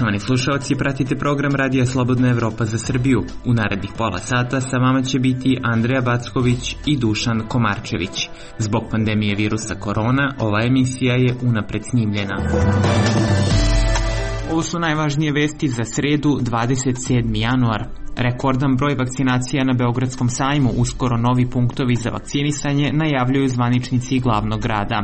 Poštovani slušalci, pratite program Radija Slobodna Evropa za Srbiju. U narednih pola sata sa vama će biti Andreja Backović i Dušan Komarčević. Zbog pandemije virusa korona, ova emisija je unapred snimljena. Ovo su najvažnije vesti za sredu, 27. januar. Rekordan broj vakcinacija na Beogradskom sajmu, uskoro novi punktovi za vakcinisanje, najavljuju zvaničnici glavnog grada.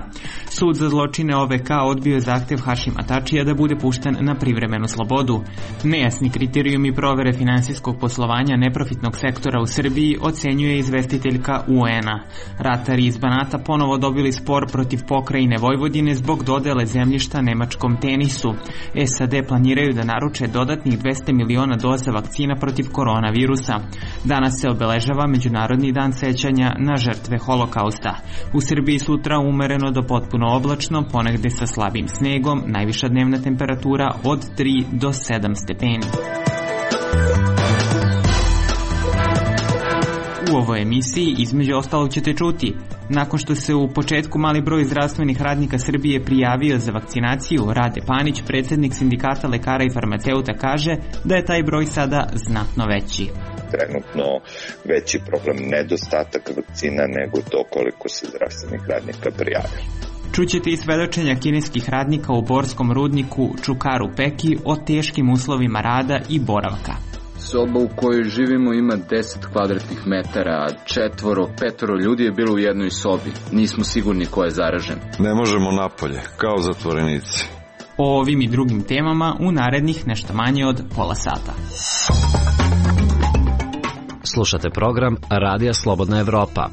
Sud za zločine OVK odbio je zahtev Hašima Tačija da bude pušten na privremenu slobodu. Nejasni kriterijumi provere finansijskog poslovanja neprofitnog sektora u Srbiji ocenjuje izvestiteljka UN-a. Ratari iz Banata ponovo dobili spor protiv pokrajine Vojvodine zbog dodele zemljišta nemačkom Tenisu. SAD planiraju da naruče dodatnih 200 miliona doza vakcina protiv koronavirusa. Danas se obeležava Međunarodni dan sećanja na žrtve holokausta. U Srbiji sutra umereno do potpuno oblačno, ponegde sa slabim snegom, najviša dnevna temperatura od 3 do 7 stepeni. U ovoj emisiji između ostalog ćete čuti: nakon što se u početku mali broj zdravstvenih radnika Srbije prijavio za vakcinaciju, Rade Panić, predsjednik sindikata lekara i farmaceuta, kaže da je taj broj sada znatno veći. Trenutno veći problem nedostatak vakcina nego to koliko se zdravstvenih radnika prijavilo. Čućete i svedočenja kineskih radnika u borskom rudniku Čukaru Peki o teškim uslovima rada i boravka. Soba u kojoj živimo ima 10 kvadratnih metara, a 4-5 ljudi je bilo u jednoj sobi. Nismo sigurni ko je zaražen. Ne možemo napolje, kao zatvorenici. O ovim i drugim temama u narednih nešto manje od pola sata. Slušate program Radija Slobodna Evropa.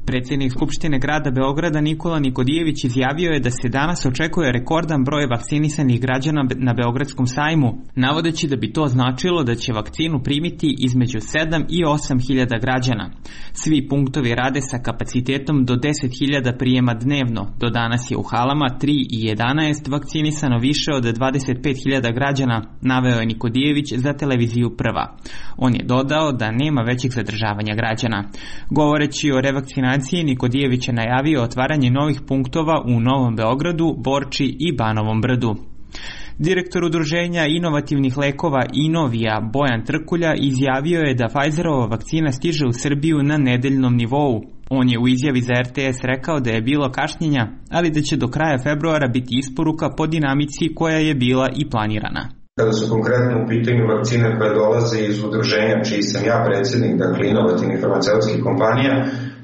Predsjednik Skupštine grada Beograda Nikola Nikodijević izjavio je da se danas očekuje rekordan broj vakcinisanih građana na Beogradskom sajmu, navodeći da bi to značilo da će vakcinu primiti između 7 i 8 hiljada građana. Svi punktovi rade sa kapacitetom do 10 hiljada prijema dnevno. Do danas je u halama 3 i 11 vakcinisano više od 25 hiljada građana, naveo je Nikodijević za televiziju Prva. On je dodao da nema većih zadržavanja građana. Govoreći o revakcinaciji, Nikodijević je najavio otvaranje novih punktova u Novom Beogradu, Borči i Banovom Brdu. Direktor udruženja inovativnih lekova Inovija Bojan Trkulja izjavio je da Pfizerova vakcina stiže u Srbiju na nedeljnom nivou. On je u izjavi za RTS rekao da je bilo kašnjenja, ali da će do kraja februara biti isporuka po dinamici koja je bila i planirana. Kada su konkretno u pitanju vakcine koje dolaze iz udruženja čiji sam ja predsjednik, dakle inovativnih farmaceutskih kompanija,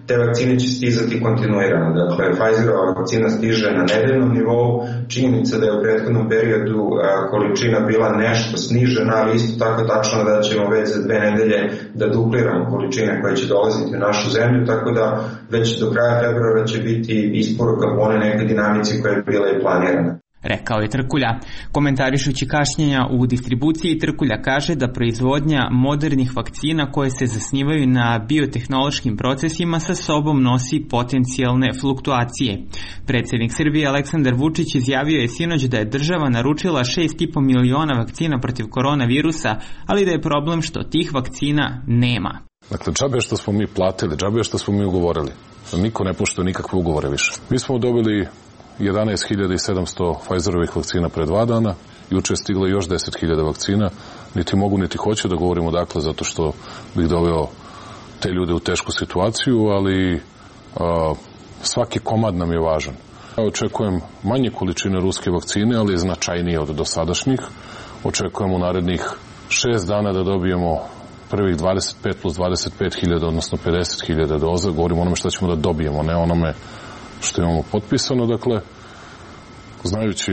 te vakcine će stizati kontinuirano. Dakle, Pfizerova vakcina stiže na nedeljnom nivou. Činjenica da je u prethodnom periodu količina bila nešto snižena, ali isto tako tačno da ćemo već za 2 nedelje da dupliramo količine koje će dolaziti u našu zemlju, tako da već do kraja februara će biti isporuka po one neke dinamici koja je bila i planirana, rekao je Trkulja. Komentarišući kašnjenja u distribuciji, Trkulja kaže da proizvodnja modernih vakcina koje se zasnivaju na biotehnološkim procesima sa sobom nosi potencijalne fluktuacije. Predsjednik Srbije Aleksandar Vučić izjavio je sinoć da je država naručila 6,5 miliona vakcina protiv koronavirusa, ali da je problem što tih vakcina nema. Dakle, džabe što smo mi platili, džabe što smo mi ugovorili. Niko ne poštuje nikakve ugovore više. Mi smo dobili 11.700 Pfizerovih vakcina pre 2 dana, juče je stiglo još 10.000 vakcina, niti mogu niti hoću da govorimo dakle zato što bih doveo te ljude u tešku situaciju, ali svaki komad nam je važan. Ja očekujem manje količine ruske vakcine, ali značajnije od dosadašnjih. Očekujem u narednih 6 dana da dobijemo prvih 25 plus 25.000, odnosno 50.000 doza. Govorimo onome što ćemo da dobijemo, ne onome što imamo potpisano. Dakle, znajući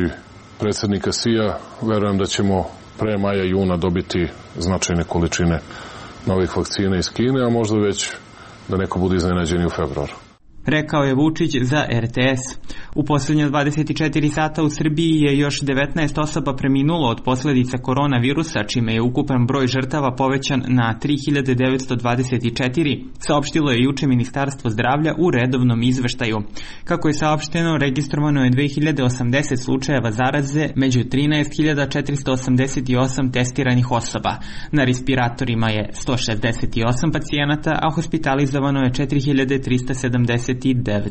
predsjednika CIA, verujem da ćemo pre maja, juna dobiti značajne količine novih vakcina iz Kine, a možda već da neko bude iznenađen u februaru. Rekao je Vučić za RTS. U posljednje 24 sata u Srbiji je još 19 osoba preminulo od posljedica koronavirusa, čime je ukupan broj žrtava povećan na 3924, saopštilo je juče Ministarstvo zdravlja u redovnom izveštaju. Kako je saopšteno, registrovano je 2080 slučajeva zaraze među 13.488 testiranih osoba. Na respiratorima je 168 pacijenata, a hospitalizovano je 4.379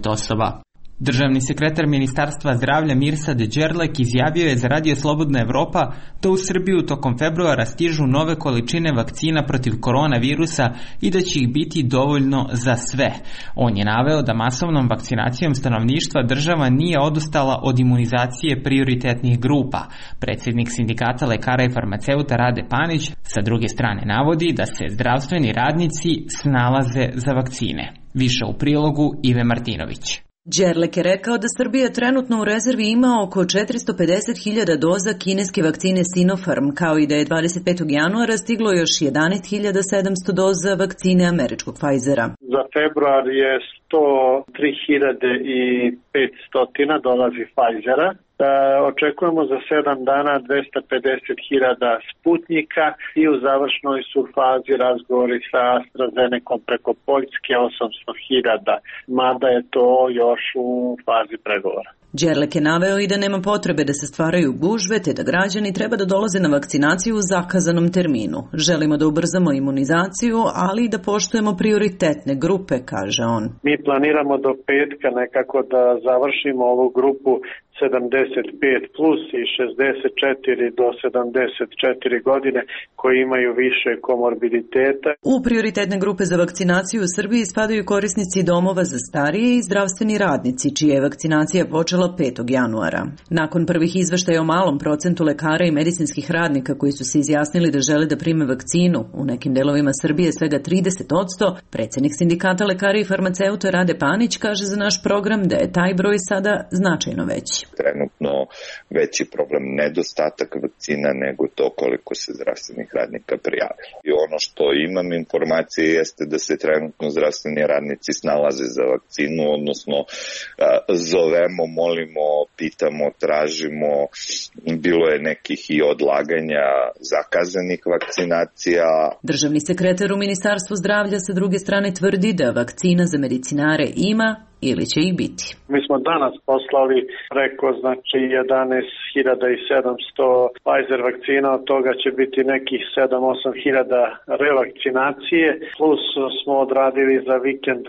osoba. Državni sekretar Ministarstva zdravlja Mirsad Đerlek izjavio je za Radio Slobodna Evropa da u Srbiju tokom februara stižu nove količine vakcina protiv koronavirusa i da će ih biti dovoljno za sve. On je naveo da masovnom vakcinacijom stanovništva država nije odustala od imunizacije prioritetnih grupa. Predsjednik Sindikata lekara i farmaceuta Rade Panić sa druge strane navodi da se zdravstveni radnici snalaze za vakcine. Više u prilogu Ive Martinović. Đerlek je rekao da Srbija trenutno u rezervi ima oko 450.000 doza kineske vakcine Sinopharm, kao i da je 25. januara stiglo još 11.700 doza vakcine američkog Pfizera. Za februar je 103.500 dolazi Pfizera. Očekujemo za 7 dana 250.000 Sputnika i u završnoj su fazi razgovori sa AstraZenecom preko Poljske 800.000, mada je to još u fazi pregovora. Đerlek je naveo i da nema potrebe da se stvaraju gužve, te da građani treba da dolaze na vakcinaciju u zakazanom terminu. Želimo da ubrzamo imunizaciju, ali i da poštujemo prioritetne grupe, kaže on. Mi planiramo do petka nekako da završimo ovu grupu 75 plus i 64 do 74 godine koji imaju više komorbiditeta. U prioritetne grupe za vakcinaciju u Srbiji spadaju korisnici domova za starije i zdravstveni radnici, čija je vakcinacija počela 5. januara. Nakon prvih izveštaja o malom procentu lekara i medicinskih radnika koji su se izjasnili da žele da prime vakcinu, u nekim delovima Srbije svega 30%, predsjednik Sindikata lekara i farmaceuta Rade Panić kaže za naš program da je taj broj sada značajno veći. Trenutno veći problem nedostatak vakcina nego to koliko se zdravstvenih radnika prijavilo. I ono što imam informacije jeste da se trenutno zdravstveni radnici snalaze za vakcinu, odnosno zovemo, molimo, pitamo, tražimo, bilo je nekih i odlaganja zakazanih vakcinacija. Državni sekretar u Ministarstvu zdravlja sa druge strane tvrdi da vakcina za medicinare ima ili će ih biti. Mi smo danas poslali preko 11.700 Pfizer vakcina, od toga će biti nekih 7-8 revakcinacije, plus smo odradili za vikend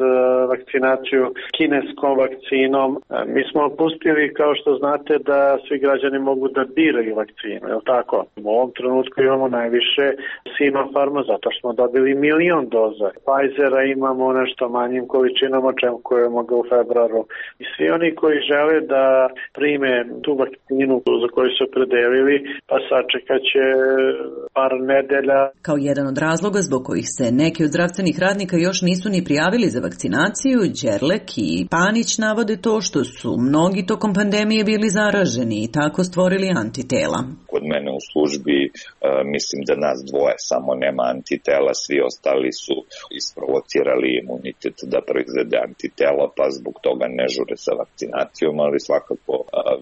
vakcinaciju kineskom vakcinom. Mi smo pustili, kao što znate, da svi građani mogu da biraju vakcinu, je li tako? U ovom trenutku imamo najviše Sinopharma, zato što smo dobili 1.000.000 doza. Pfizera imamo nešto manjim količinama, očekujemo ga u februaru. I svi oni koji žele da prime tu vakcinu za koju su opredelili, pa sačekat će par nedelja. Kao jedan od razloga zbog kojih se neki od zdravstvenih radnika još nisu ni prijavili za vakcinaciju, Đerlek i Panić navode to što su mnogi tokom pandemije bili zaraženi i tako stvorili antitela. Kod mene u službi mislim da nas dvoje samo nema antitela, svi ostali su isprovocirali imunitet da proizvede antitela, pa zbog toga ne žure sa vakcinacijom, ali svakako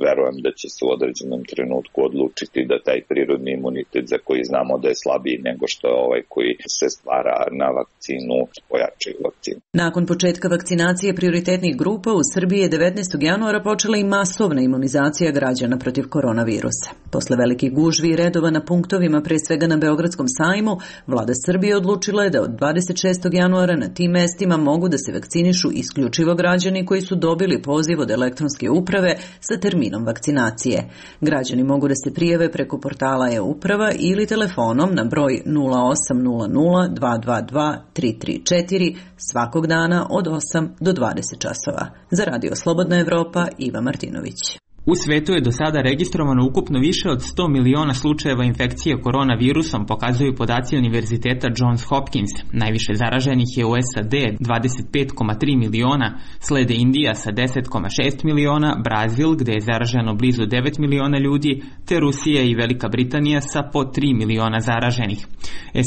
verujem da će se u određenom trenutku odlučiti da taj prirodni imunitet za koji znamo da je slabiji nego što je ovaj koji se stvara na vakcinu, pojačaju vakcinu. Nakon početka vakcinacije prioritetnih grupa u Srbiji je 19. januara počela i masovna imunizacija građana protiv koronavirusa. Posle velikih gužvi i redova na punktovima, pre svega na Beogradskom sajmu, vlada Srbije odlučila je da od 26. januara na tim mestima mogu da se vakcinišu isključivo građani koji su dobili poziv od elektronske uprave sa terminom vakcinacije. Građani mogu da se prijave preko portala e-uprava ili telefonom na broj 0800 222 334 svakog dana od 8 do 20 časova. Za Radio Slobodna Evropa, Iva Martinović. U svetu je do sada registrovano ukupno više od 100 miliona slučajeva infekcije koronavirusom, pokazuju podaci Univerziteta Johns Hopkins. Najviše zaraženih je u SAD 25,3 miliona, slede Indija sa 10,6 miliona, Brazil gde je zaraženo blizu 9 miliona ljudi, te Rusija i Velika Britanija sa po 3 miliona zaraženih.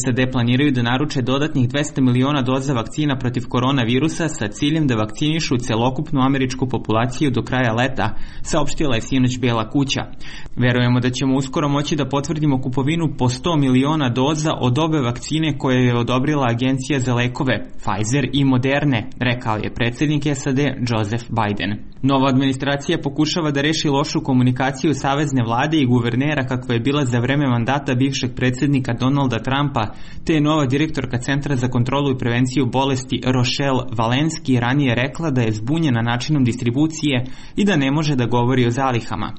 SAD planiraju da naruče dodatnih 200 miliona doza vakcina protiv koronavirusa sa ciljem da vakcinišu celokupnu američku populaciju do kraja leta, saopštio saopštila je sinoć Bela kuća. Verujemo da ćemo uskoro moći da potvrdimo kupovinu po 100 miliona doza od obe vakcine koje je odobrila Agencija za lekove, Pfizer i Moderne, rekao je predsjednik SAD Joseph Biden. Nova administracija pokušava da reši lošu komunikaciju savezne vlade i guvernera kakva je bila za vreme mandata bivšeg predsjednika Donalda Trumpa, te je nova direktorka Centra za kontrolu i prevenciju bolesti Rochelle Walensky ranije rekla da je zbunjena načinom distribucije i da ne može da govori o zalihama.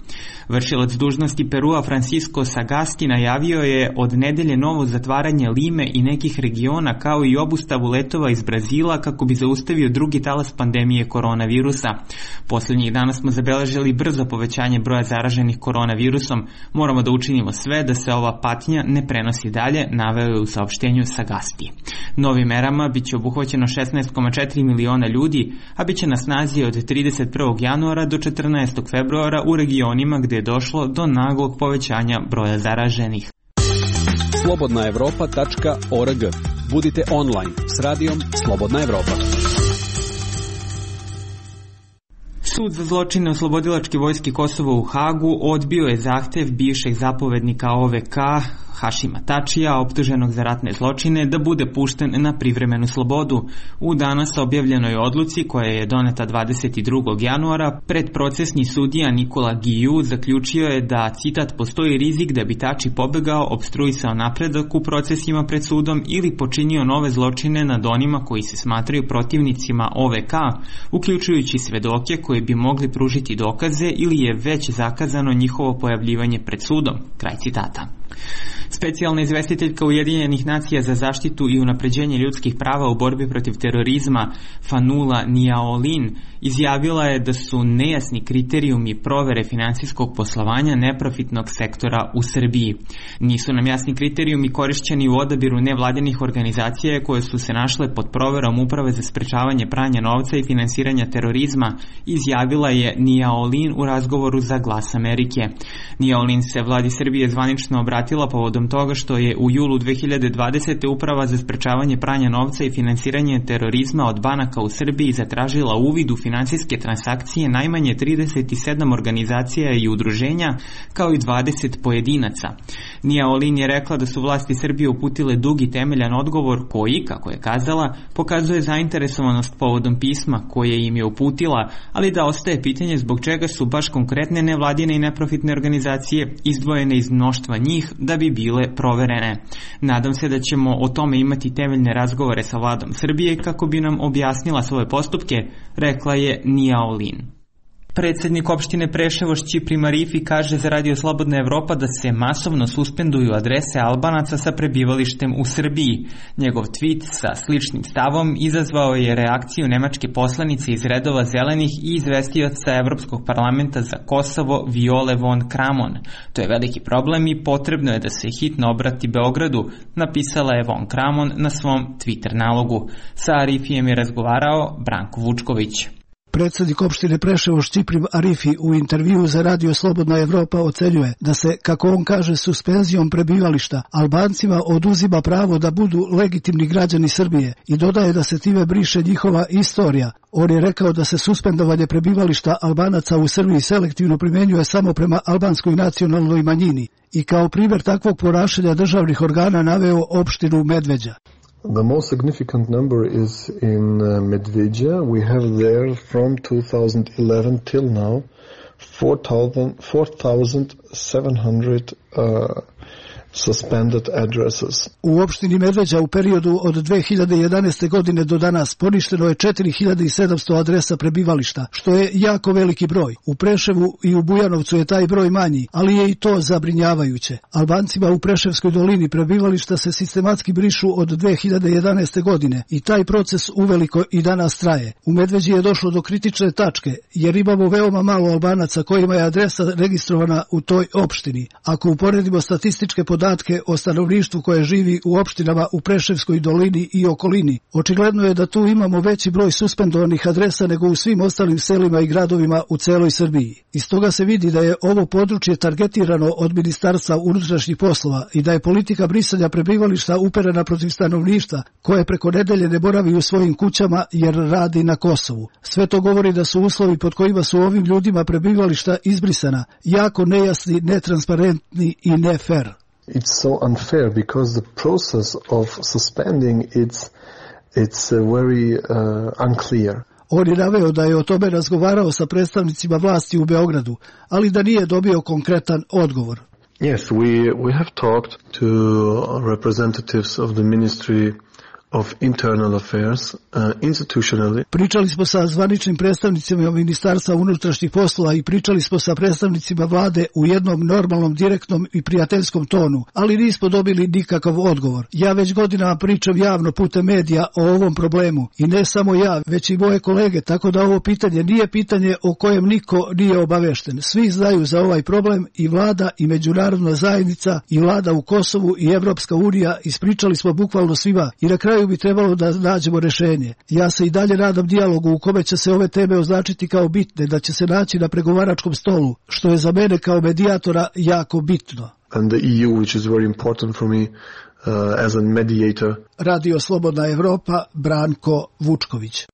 Vršilac dužnosti Perua Francisco Sagasti najavio je od nedelje novo zatvaranje Lime i nekih regiona kao i obustavu letova iz Brazila kako bi zaustavio drugi talas pandemije koronavirusa. Posljednjih dana smo zabeležili brzo povećanje broja zaraženih koronavirusom. Moramo da učinimo sve da se ova patnja ne prenosi dalje, naveo je u saopštenju Sagasti. Novim merama biće obuhvaćeno 16,4 miliona ljudi, a biće na snazi od 31. januara do 14. februara u regionima gdje je došlo do naglog povećanja broja zaraženih. slobodnaevropa.org. Budite online s radijom Slobodna Evropa. Sud za zločine oslobodilačke vojske Kosova u Hagu odbio je zahtev bivšeg zapovednika OVK Hašima Tačija, optuženog za ratne zločine, da bude pušten na privremenu slobodu. U danas objavljenoj odluci, koja je doneta 22. januara, predprocesni sudija Nikola Giju zaključio je da, citat, postoji rizik da bi Tači pobegao, opstruisao napredak u procesima pred sudom ili počinio nove zločine nad onima koji se smatraju protivnicima OVK, uključujući svedoke koji bi mogli pružiti dokaze ili je već zakazano njihovo pojavljivanje pred sudom. Kraj citata. Specijalna izvestiteljka Ujedinjenih nacija za zaštitu i unapređenje ljudskih prava u borbi protiv terorizma Fanula Niaolin izjavila je da su nejasni kriterijumi provere finansijskog poslovanja neprofitnog sektora u Srbiji. Nisu nam jasni kriterijumi korišćeni u odabiru nevladinih organizacija koje su se našle pod proverom Uprave za sprečavanje pranja novca i finansiranja terorizma, izjavila je Niaolin u razgovoru za Glas Amerike. Niaolin se vladi Srbije zvanično obratila povodom toga što je u julu 2020. Uprava za sprečavanje pranja novca i finansiranje terorizma od banaka u Srbiji zatražila uvid u finansijske transakcije najmanje 37 organizacija i udruženja, kao i 20 pojedinaca. Niaolin je rekla da su vlasti Srbije uputile dug i temeljan odgovor koji, kako je kazala, pokazuje zainteresovanost povodom pisma koje im je uputila, ali da ostaje pitanje zbog čega su baš konkretne nevladine i neprofitne organizacije izdvojene iz mnoštva njih da bi bile proverene. Nadam se da ćemo o tome imati temeljne razgovore sa vladom Srbije kako bi nam objasnila svoje postupke, rekla je Niaolin. Predsjednik opštine Preševo Šćipri Marifi kaže za Radio Slobodna Evropa da se masovno suspenduju adrese Albanaca sa prebivalištem u Srbiji. Njegov tweet sa sličnim stavom izazvao je reakciju nemačke poslanice iz redova zelenih i izvestioca Evropskog parlamenta za Kosovo Viole von Kramon. To je veliki problem i potrebno je da se hitno obrati Beogradu, napisala je von Kramon na svom Twitter nalogu. Sa Arifijem je razgovarao Branko Vučković. Predsjednik opštine Preševo Šćiprim Arifi u intervjuu za Radio Slobodna Evropa ocenjuje da se, kako on kaže, suspenzijom prebivališta Albancima oduzima pravo da budu legitimni građani Srbije i dodaje da se time briše njihova istorija. On je rekao da se suspendovanje prebivališta Albanaca u Srbiji selektivno primjenjuje samo prema albanskoj nacionalnoj manjini i kao primjer takvog ponašanja državnih organa naveo opštinu Medveđa. The most significant number is in Medveđa. We have there from 2011 till now 4,700 suspended addresses. U opštini Medveđa u periodu od 2011. godine do danas poništeno je 4700 adresa prebivališta, što je jako veliki broj. U Preševu i u Bujanovcu je taj broj manji, ali je i to zabrinjavajuće. Albancima u Preševskoj dolini prebivališta se sistematski brišu od 2011. godine i taj proces uveliko i danas traje. U Medveđi je došlo do kritične tačke, jer imamo veoma malo Albanaca kojima je adresa registrovana u toj opštini. Ako uporedimo statističke podatke podatke o stanovništvu koje živi u opštinama u Preševskoj dolini i okolini. Očigledno je da tu imamo veći broj suspendovanih adresa nego u svim ostalim selima i gradovima u celoj Srbiji. Iz toga se vidi da je ovo područje targetirano od Ministarstva unutrašnjih poslova i da je politika brisanja prebivališta uperena protiv stanovništva koje preko nedelje ne boravi u svojim kućama jer radi na Kosovu. Sve to govori da su uslovi pod kojima su ovim ljudima prebivališta izbrisana jako nejasni, netransparentni i ne fair. It's so unfair because the process of suspending it's very unclear. On je naveo da je o tome razgovarao sa predstavnicima vlasti u Beogradu, ali da nije dobio konkretan odgovor. Yes, we have talked to representatives of the Ministry of Internal Affairs institutionally. Pričali smo sa zvaničnim predstavnicima Ministarstva unutrašnjih poslova i pričali smo sa predstavnicima vlade u jednom normalnom, direktnom i prijateljskom tonu, ali nismo dobili nikakav odgovor. Ja već godinama pričam javno putem medija o ovom problemu i ne samo ja, već i moje kolege, tako da ovo pitanje nije pitanje o kojem niko nije obavešten. Svi znaju za ovaj problem i vlada i međunarodna zajednica i vlada u Kosovu i Evropska unija, ispričali smo bukvalno svima i na kraju bi trebalo da nađemo rešenje. Ja se i dalje nadam dijalogu u kome će se ove teme označiti kao bitne, da će se naći na pregovaračkom stolu, što je za mene kao medijatora jako bitno. And the EU, which is very important for me as a mediator. Radio Slobodna Evropa, Branko Vučković.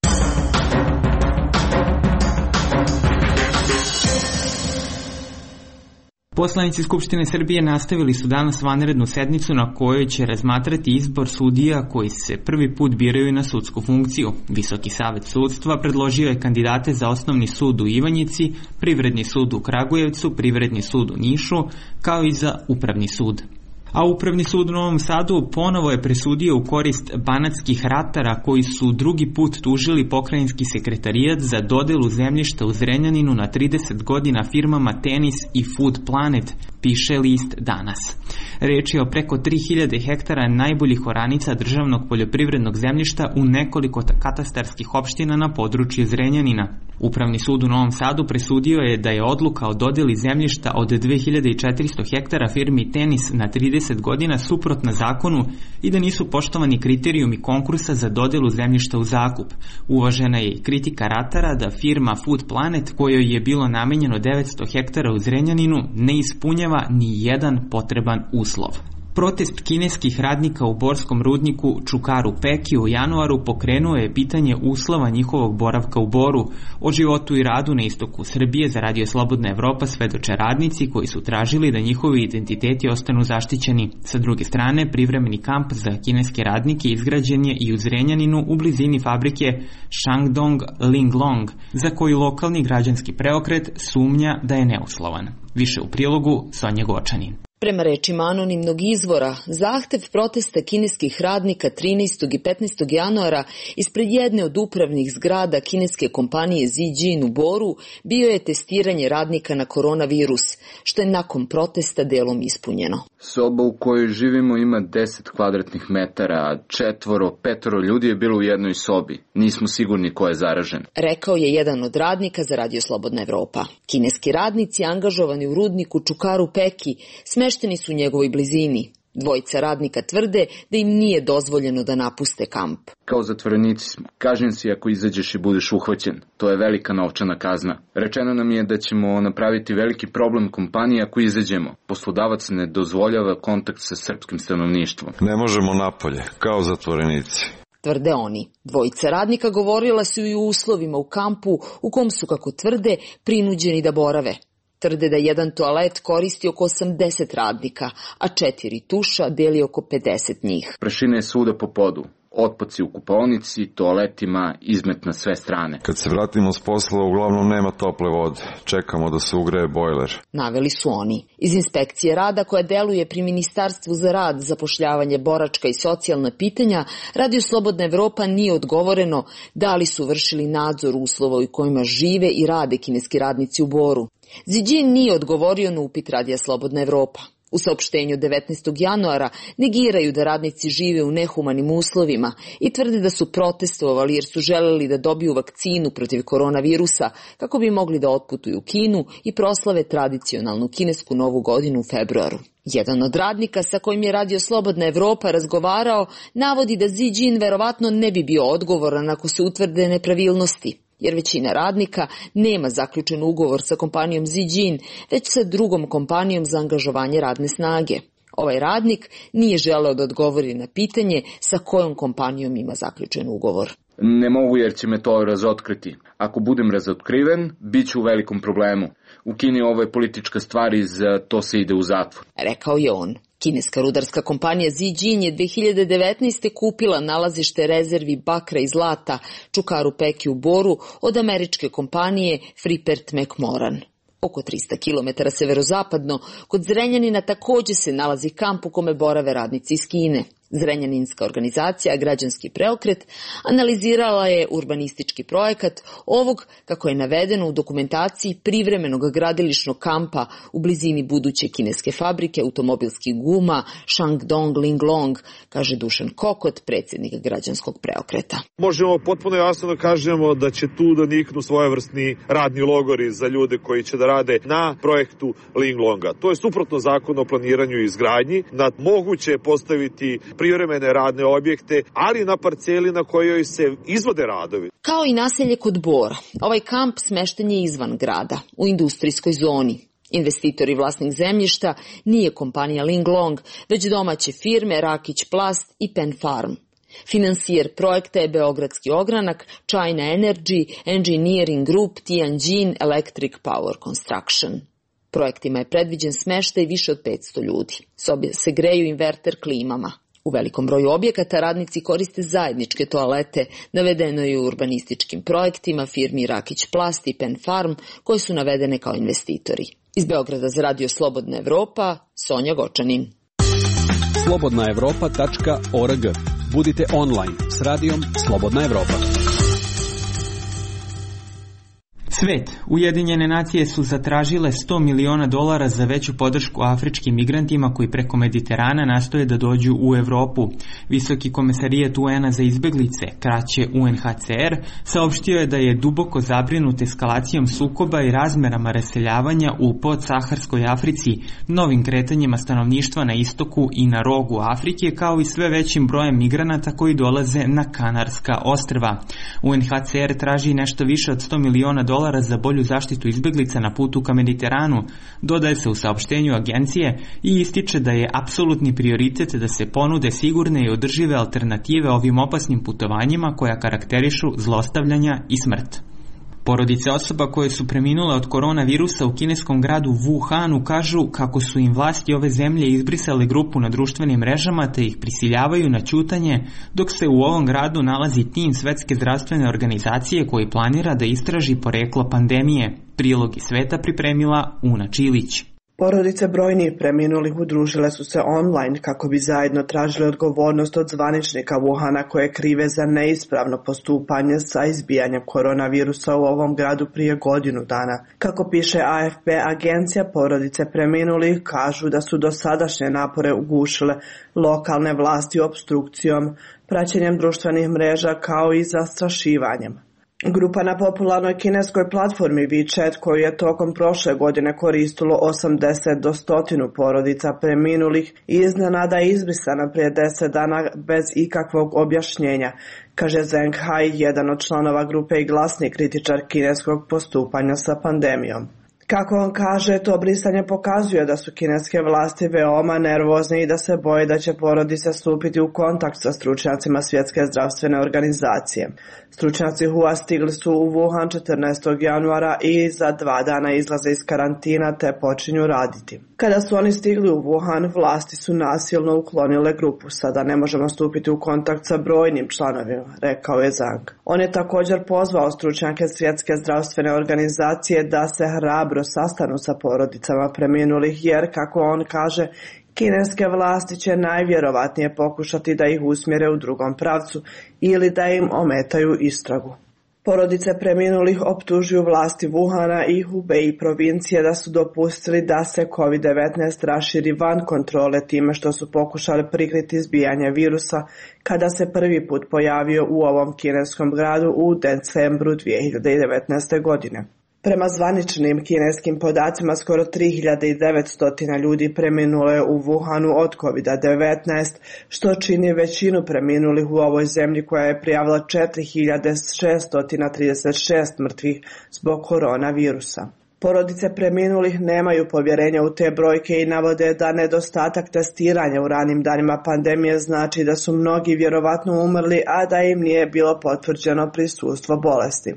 Poslanici Skupštine Srbije nastavili su danas vanrednu sednicu na kojoj će razmatrati izbor sudija koji se prvi put biraju na sudsku funkciju. Visoki savet sudstva predložio je kandidate za Osnovni sud u Ivanjici, Privredni sud u Kragujevcu, Privredni sud u Nišu, kao i za Upravni sud. A Upravni sud u Novom Sadu ponovo je presudio u korist banatskih ratara koji su drugi put tužili pokrajinski sekretarijat za dodelu zemljišta u Zrenjaninu na 30 godina firmama Tenis i Food Planet, piše list Danas. Reč je o preko 3000 hektara najboljih oranica državnog poljoprivrednog zemljišta u nekoliko katastarskih opština na području Zrenjanina. Upravni sud u Novom Sadu presudio je da je odluka o dodeli zemljišta od 2400 hektara firmi Tenis na 30 godina suprotna zakonu i da nisu poštovani kriterijumi konkursa za dodelu zemljišta u zakup. Uvažena je i kritika ratara da firma Food Planet, kojoj je bilo namenjeno 900 hektara u Zrenjaninu, ne ispunjava ni jedan potreban uslov. Protest kineskih radnika u borskom rudniku Čukaru Peki u januaru pokrenuo je pitanje uslova njihovog boravka u Boru. O životu i radu na istoku Srbije za Radio Slobodna Evropa svedoče radnici koji su tražili da njihovi identiteti ostanu zaštićeni. Sa druge strane, privremeni kamp za kineske radnike izgrađen je i u Zrenjaninu u blizini fabrike Shandong Linglong, za koju lokalni građanski preokret sumnja da je neuslovan. Više u prilogu Sonja Gočanin. Prema rečima anonimnog izvora, zahtev protesta kineskih radnika 13. i 15. januara ispred jedne od upravnih zgrada kineske kompanije Zijin u Boru bio je testiranje radnika na koronavirus, što je nakon protesta delom ispunjeno. Soba u kojoj živimo ima 10 kvadratnih metara, a 4-5 ljudi je bilo u jednoj sobi. Nismo sigurni ko je zaražen. Rekao je jedan od radnika za Radio Slobodna Evropa. Kineski radnici angažovani u rudniku Čukaru Peki smešteni su u njegovoj blizini. Dvojica radnika tvrde da im nije dozvoljeno da napuste kamp. Kao zatvorenici smo. Kažnjen si ako izađeš i budeš uhvaćen. To je velika novčana kazna. Rečeno nam je da ćemo napraviti veliki problem kompaniji ako izađemo. Poslodavac ne dozvoljava kontakt sa srpskim stanovništvom. Ne možemo napolje, kao zatvorenici. Tvrde oni. Dvojica radnika govorila su i o uslovima u kampu u kom su, kako tvrde, prinuđeni da borave. Tvrde da jedan toalet koristi oko 80 radnika, a 4 tuša deli oko 50 njih. Prašina je svuda po podu. Otpaci u kupaonici, toaletima, izmet na sve strane. Kad se vratimo s posla, uglavnom nema tople vode. Čekamo da se ugreje bojler. Naveli su oni. Iz inspekcije rada koja deluje pri Ministarstvu za rad, zapošljavanje, boračka i socijalna pitanja, Radio Slobodna Evropa nije odgovoreno da li su vršili nadzor uslova u kojima žive i rade kineski radnici u Boru. Zijin nije odgovorio na upit Radija Slobodna Evropa. U saopštenju 19. januara negiraju da radnici žive u nehumanim uslovima i tvrde da su protestovali jer su želeli da dobiju vakcinu protiv koronavirusa kako bi mogli da otputuju u Kinu i proslave tradicionalnu kinesku novu godinu u februaru. Jedan od radnika sa kojim je Radio Slobodna Evropa razgovarao navodi da Xi Jinping verovatno ne bi bio odgovoran ako se utvrde nepravilnosti, jer većina radnika nema zaključen ugovor sa kompanijom Xi Jinping, već sa drugom kompanijom za angažovanje radne snage. Ovaj radnik nije želeo da odgovori na pitanje sa kojom kompanijom ima zaključen ugovor. Ne mogu jer će me to razotkriti. Ako budem razotkriven, bit ću u velikom problemu. U Kini ovo je politička stvar i za to se ide u zatvor. Rekao je on. Kineska rudarska kompanija Xi Jinping je 2019. kupila nalazište rezervi bakra i zlata Čukaru Peki u Boru od američke kompanije Freeport McMoran. Oko 300 km severozapadno, kod Zrenjanina takođe se nalazi kamp u kome borave radnici iz Kine. Zrenjaninska organizacija Građanski preokret analizirala je urbanistički projekat ovog, kako je navedeno u dokumentaciji, privremenog gradilišnog kampa u blizini buduće kineske fabrike automobilskih guma Shandong Linglong, kaže Dušan Kokot, predsjednik Građanskog preokreta. Možemo potpuno jasno da kažemo da će tu da niknu svojevrsni radni logori za ljude koji će da rade na projektu Linglonga. To je suprotno zakonu o planiranju i izgradnji. Moguće je postaviti privremene radne objekte, ali na parceli na kojoj se izvode radovi. Kao i naselje kod Bora, ovaj kamp smešten je izvan grada, u industrijskoj zoni. Investitor i vlasnik zemljišta nije kompanija Linglong, već domaće firme Rakić Plast i Pen Farm. Finansijer projekta je Beogradski ogranak, China Energy, Engineering Group, Tianjin Electric Power Construction. Projektima je predviđen smeštaj više od 500 ljudi. Sobe se greju inverter klimama. U velikom broju objekata radnici koriste zajedničke toalete, navedeno je u urbanističkim projektima firmi Rakić Plast i Pen Farm, koji su navedene kao investitori. Iz Beograda za Radio Slobodna Evropa, Sonja Gočanin. slobodnaevropa.org. Budite online s radijom Slobodna Evropa. Svet. Ujedinjene nacije su zatražile $100 miliona za veću podršku afričkim migrantima koji preko Mediterana nastoje da dođu u Evropu. Visoki komesarijat UN-a za izbeglice, kraće UNHCR, saopštio je da je duboko zabrinut eskalacijom sukoba i razmerama raseljavanja u podsaharskoj Africi, novim kretanjima stanovništva na istoku i na rogu Afrike, kao i sve većim brojem migranata koji dolaze na Kanarska ostrva. UNHCR traži nešto više od $100 miliona za bolju zaštitu izbeglica na putu ka Mediteranu, dodaje se u saopštenju agencije i ističe da je apsolutni prioritet da se ponude sigurne i održive alternative ovim opasnim putovanjima koja karakterišu zlostavljanja i smrt. Porodice osoba koje su preminule od koronavirusa u kineskom gradu Wuhanu kažu kako su im vlasti ove zemlje izbrisale grupu na društvenim mrežama te ih prisiljavaju na ćutanje, dok se u ovom gradu nalazi tim Svetske zdravstvene organizacije koji planira da istraži poreklo pandemije. Prilog iz sveta pripremila Una Čilić. Porodice brojnih preminulih udružile su se online kako bi zajedno tražile odgovornost od zvaničnika Wuhana koje krive za neispravno postupanje sa izbijanjem koronavirusa u ovom gradu prije godinu dana. Kako piše AFP, agencija porodice preminulih kažu da su dosadašnje napore ugušile lokalne vlasti opstrukcijom, praćenjem društvenih mreža kao i zastrašivanjem. Grupa na popularnoj kineskoj platformi WeChat koju je tokom prošle godine koristilo 80 do 100 porodica preminulih i iznenada izbrisana prije 10 dana bez ikakvog objašnjenja, kaže Zheng Hai, jedan od članova grupe i glasni kritičar kineskog postupanja sa pandemijom. Kako on kaže, to brisanje pokazuje da su kineske vlasti veoma nervozne i da se boje da će porodice stupiti u kontakt sa stručnjacima Svjetske zdravstvene organizacije. Stručnjaci HUA stigli su u Wuhan 14. januara i za 2 dana izlaze iz karantina te počinju raditi. Kada su oni stigli u Wuhan, vlasti su nasilno uklonile grupu. Sada ne možemo stupiti u kontakt sa brojnim članovima, rekao je Zhang. On je također pozvao stručnjake Svjetske zdravstvene organizacije da se hrabro sastanu sa porodicama preminulih jer, kako on kaže, kineske vlasti će najvjerovatnije pokušati da ih usmjere u drugom pravcu ili da im ometaju istragu. Porodice preminulih optužuju vlasti Wuhana i Hubei provincije da su dopustili da se COVID-19 raširi van kontrole time što su pokušali prikriti izbijanje virusa kada se prvi put pojavio u ovom kineskom gradu u decembru 2019. godine. Prema zvaničnim kineskim podacima, skoro 3900 ljudi preminulo je u Wuhanu od COVID-19, što čini većinu preminulih u ovoj zemlji koja je prijavila 4636 mrtvih zbog koronavirusa. Porodice preminulih nemaju povjerenja u te brojke i navode da nedostatak testiranja u ranim danima pandemije znači da su mnogi vjerovatno umrli, a da im nije bilo potvrđeno prisustvo bolesti.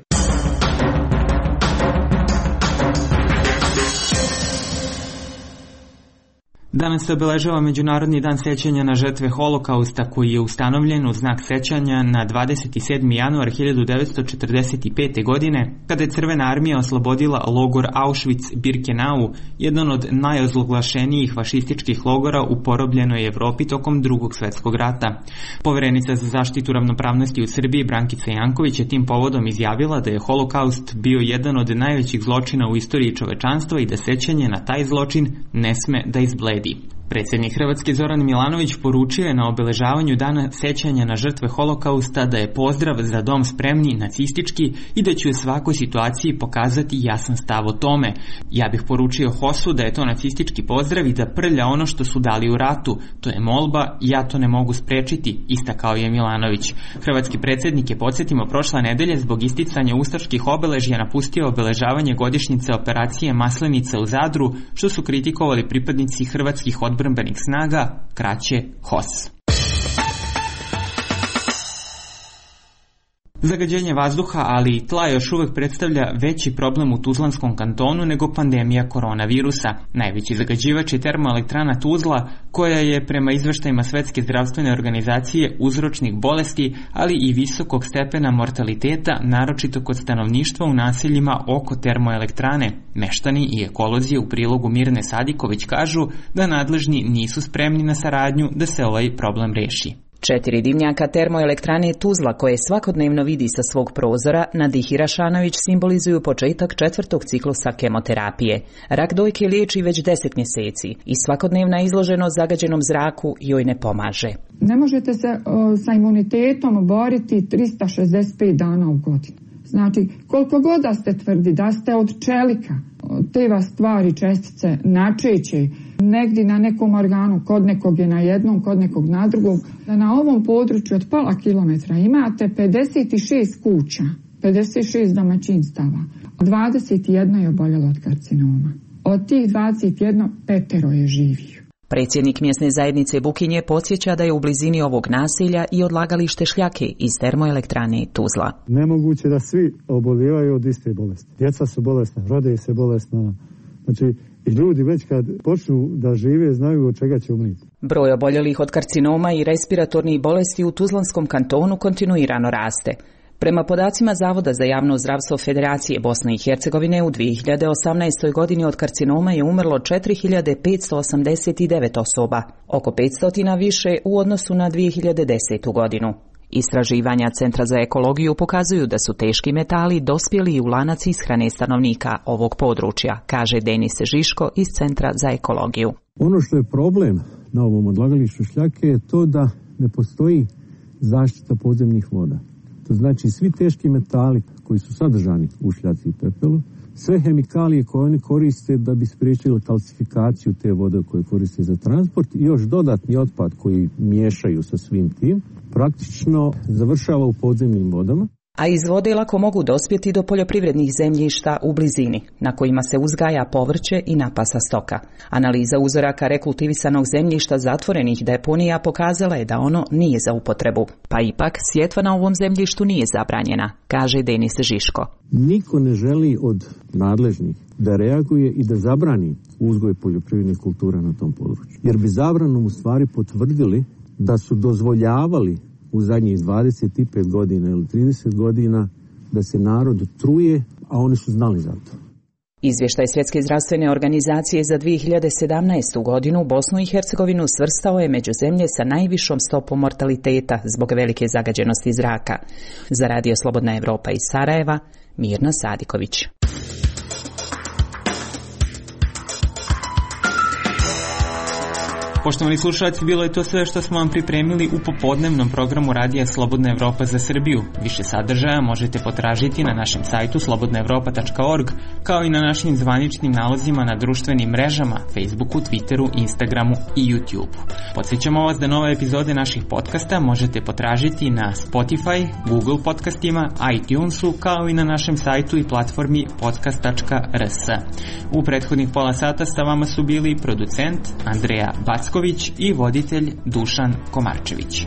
Danas se obeležava Međunarodni dan sećanja na žrtve Holokausta koji je ustanovljen u znak sećanja na 27. januar 1945. godine kada je Crvena armija oslobodila logor Auschwitz-Birkenau, jedan od najozloglašenijih fašističkih logora u porobljenoj Evropi tokom Drugog svjetskog rata. Poverenica za zaštitu ravnopravnosti u Srbiji Brankica Janković je tim povodom izjavila da je Holokaust bio jedan od najvećih zločina u istoriji čovečanstva i da sećanje na taj zločin ne sme da izbledi. Predsjednik Hrvatske Zoran Milanović poručio je na obeležavanju dana sećanja na žrtve Holokausta da je pozdrav za dom spremni nacistički i da će u svakoj situaciji pokazati jasan stav o tome. Ja bih poručio HOS-u da je to nacistički pozdrav i da prlja ono što su dali u ratu. To je molba, ja to ne mogu sprečiti, istakao je Milanović. Hrvatski predsjednik je, podsjetimo, prošle nedelje zbog isticanja ustaških obeležja napustio obeležavanje godišnjice operacije Maslenica u Zadru, što su kritikovali pripadnici hrvatskih odbrambenih snaga, kraće HOS. Zagađenje vazduha, ali i tla još uvek predstavlja veći problem u Tuzlanskom kantonu nego pandemija koronavirusa. Najveći zagađivač je termoelektrana Tuzla, koja je prema izveštajima Svetske zdravstvene organizacije uzročnik bolesti, ali i visokog stepena mortaliteta, naročito kod stanovništva u naseljima oko termoelektrane. Meštani i ekolozi u prilogu Mirne Sadiković kažu da nadležni nisu spremni na saradnju da se ovaj problem reši. 4 dimnjaka termoelektrane Tuzla koje svakodnevno vidi sa svog prozora, Nadihi Rašanović, simbolizuju početak 4. ciklusa kemoterapije. Rak dojke liječi već 10 mjeseci i svakodnevna izloženost zagađenom zraku joj ne pomaže. Ne možete se sa imunitetom boriti 365 dana u godinu. Znači, koliko god da ste tvrdi da ste od čelika, te vas stvari, čestice načeće negdje na nekom organu, kod nekog je na jednom, kod nekog na drugom, da na ovom području od pola kilometra imate 56 kuća, 56 domaćinstava, 21 je oboljelo od karcinoma. Od tih 21, 5 je živih. Predsjednik mjesne zajednice Bukinje podsjeća da je u blizini ovog naselja i odlagalište šljake iz termoelektrane Tuzla. Nemoguće da svi obolijevaju od iste bolesti. Djeca su bolesna, rode se bolesna. Znači, i ljudi već kad počnu da žive znaju od čega će umriti. Broj oboljelih od karcinoma i respiratornih bolesti u Tuzlanskom kantonu kontinuirano raste. Prema podacima Zavoda za javno zdravstvo Federacije Bosne i Hercegovine u 2018. godini od karcinoma je umrlo 4589 osoba, oko 500 više u odnosu na 2010. godinu. Istraživanja Centra za ekologiju pokazuju da su teški metali dospjeli u lanac ishrane stanovnika ovog područja, kaže Denis Žiško iz Centra za ekologiju. Ono što je problem na ovom odlagalištu šljake je to da ne postoji zaštita podzemnih voda. To znači svi teški metali koji su sadržani u šljaci i pepelu, sve hemikalije koje oni koriste da bi spriječili kalcifikaciju te vode koje koriste za transport i još dodatni otpad koji miješaju sa svim tim, praktično završava u podzemnim vodama. A iz vode lako mogu dospjeti do poljoprivrednih zemljišta u blizini, na kojima se uzgaja povrće i napasa stoka. Analiza uzoraka rekultivisanog zemljišta zatvorenih deponija pokazala je da ono nije za upotrebu. Pa ipak, sjetva na ovom zemljištu nije zabranjena, kaže Denis Žiško. Niko ne želi od nadležnih da reaguje i da zabrani uzgoj poljoprivrednih kultura na tom području. Jer bi zabranom u stvari potvrdili da su dozvoljavali u zadnjih 25 godina ili 30 godina da se narod truje, a oni su znali za to. Izvještaj Svjetske zdravstvene organizacije za 2017. godinu Bosnu i Hercegovinu svrstao je među zemlje sa najvišom stopom mortaliteta zbog velike zagađenosti zraka. Za Radio Slobodna Evropa iz Sarajeva, Mirna Sadiković. Poštovani slušalci, bilo je to sve što smo vam pripremili u popodnevnom programu Radija Slobodna Evropa za Srbiju. Više sadržaja možete potražiti na našem sajtu slobodnaevropa.org, kao i na našim zvaničnim nalozima na društvenim mrežama, Facebooku, Twitteru, Instagramu i YouTubeu. Podsjećamo vas da nove epizode naših podcasta možete potražiti na Spotify, Google podcastima, iTunesu, kao i na našem sajtu i platformi podcast.rs. U prethodnih pola sata sa vama su bili producent Andreja Backović i voditelj Dušan Komarčević.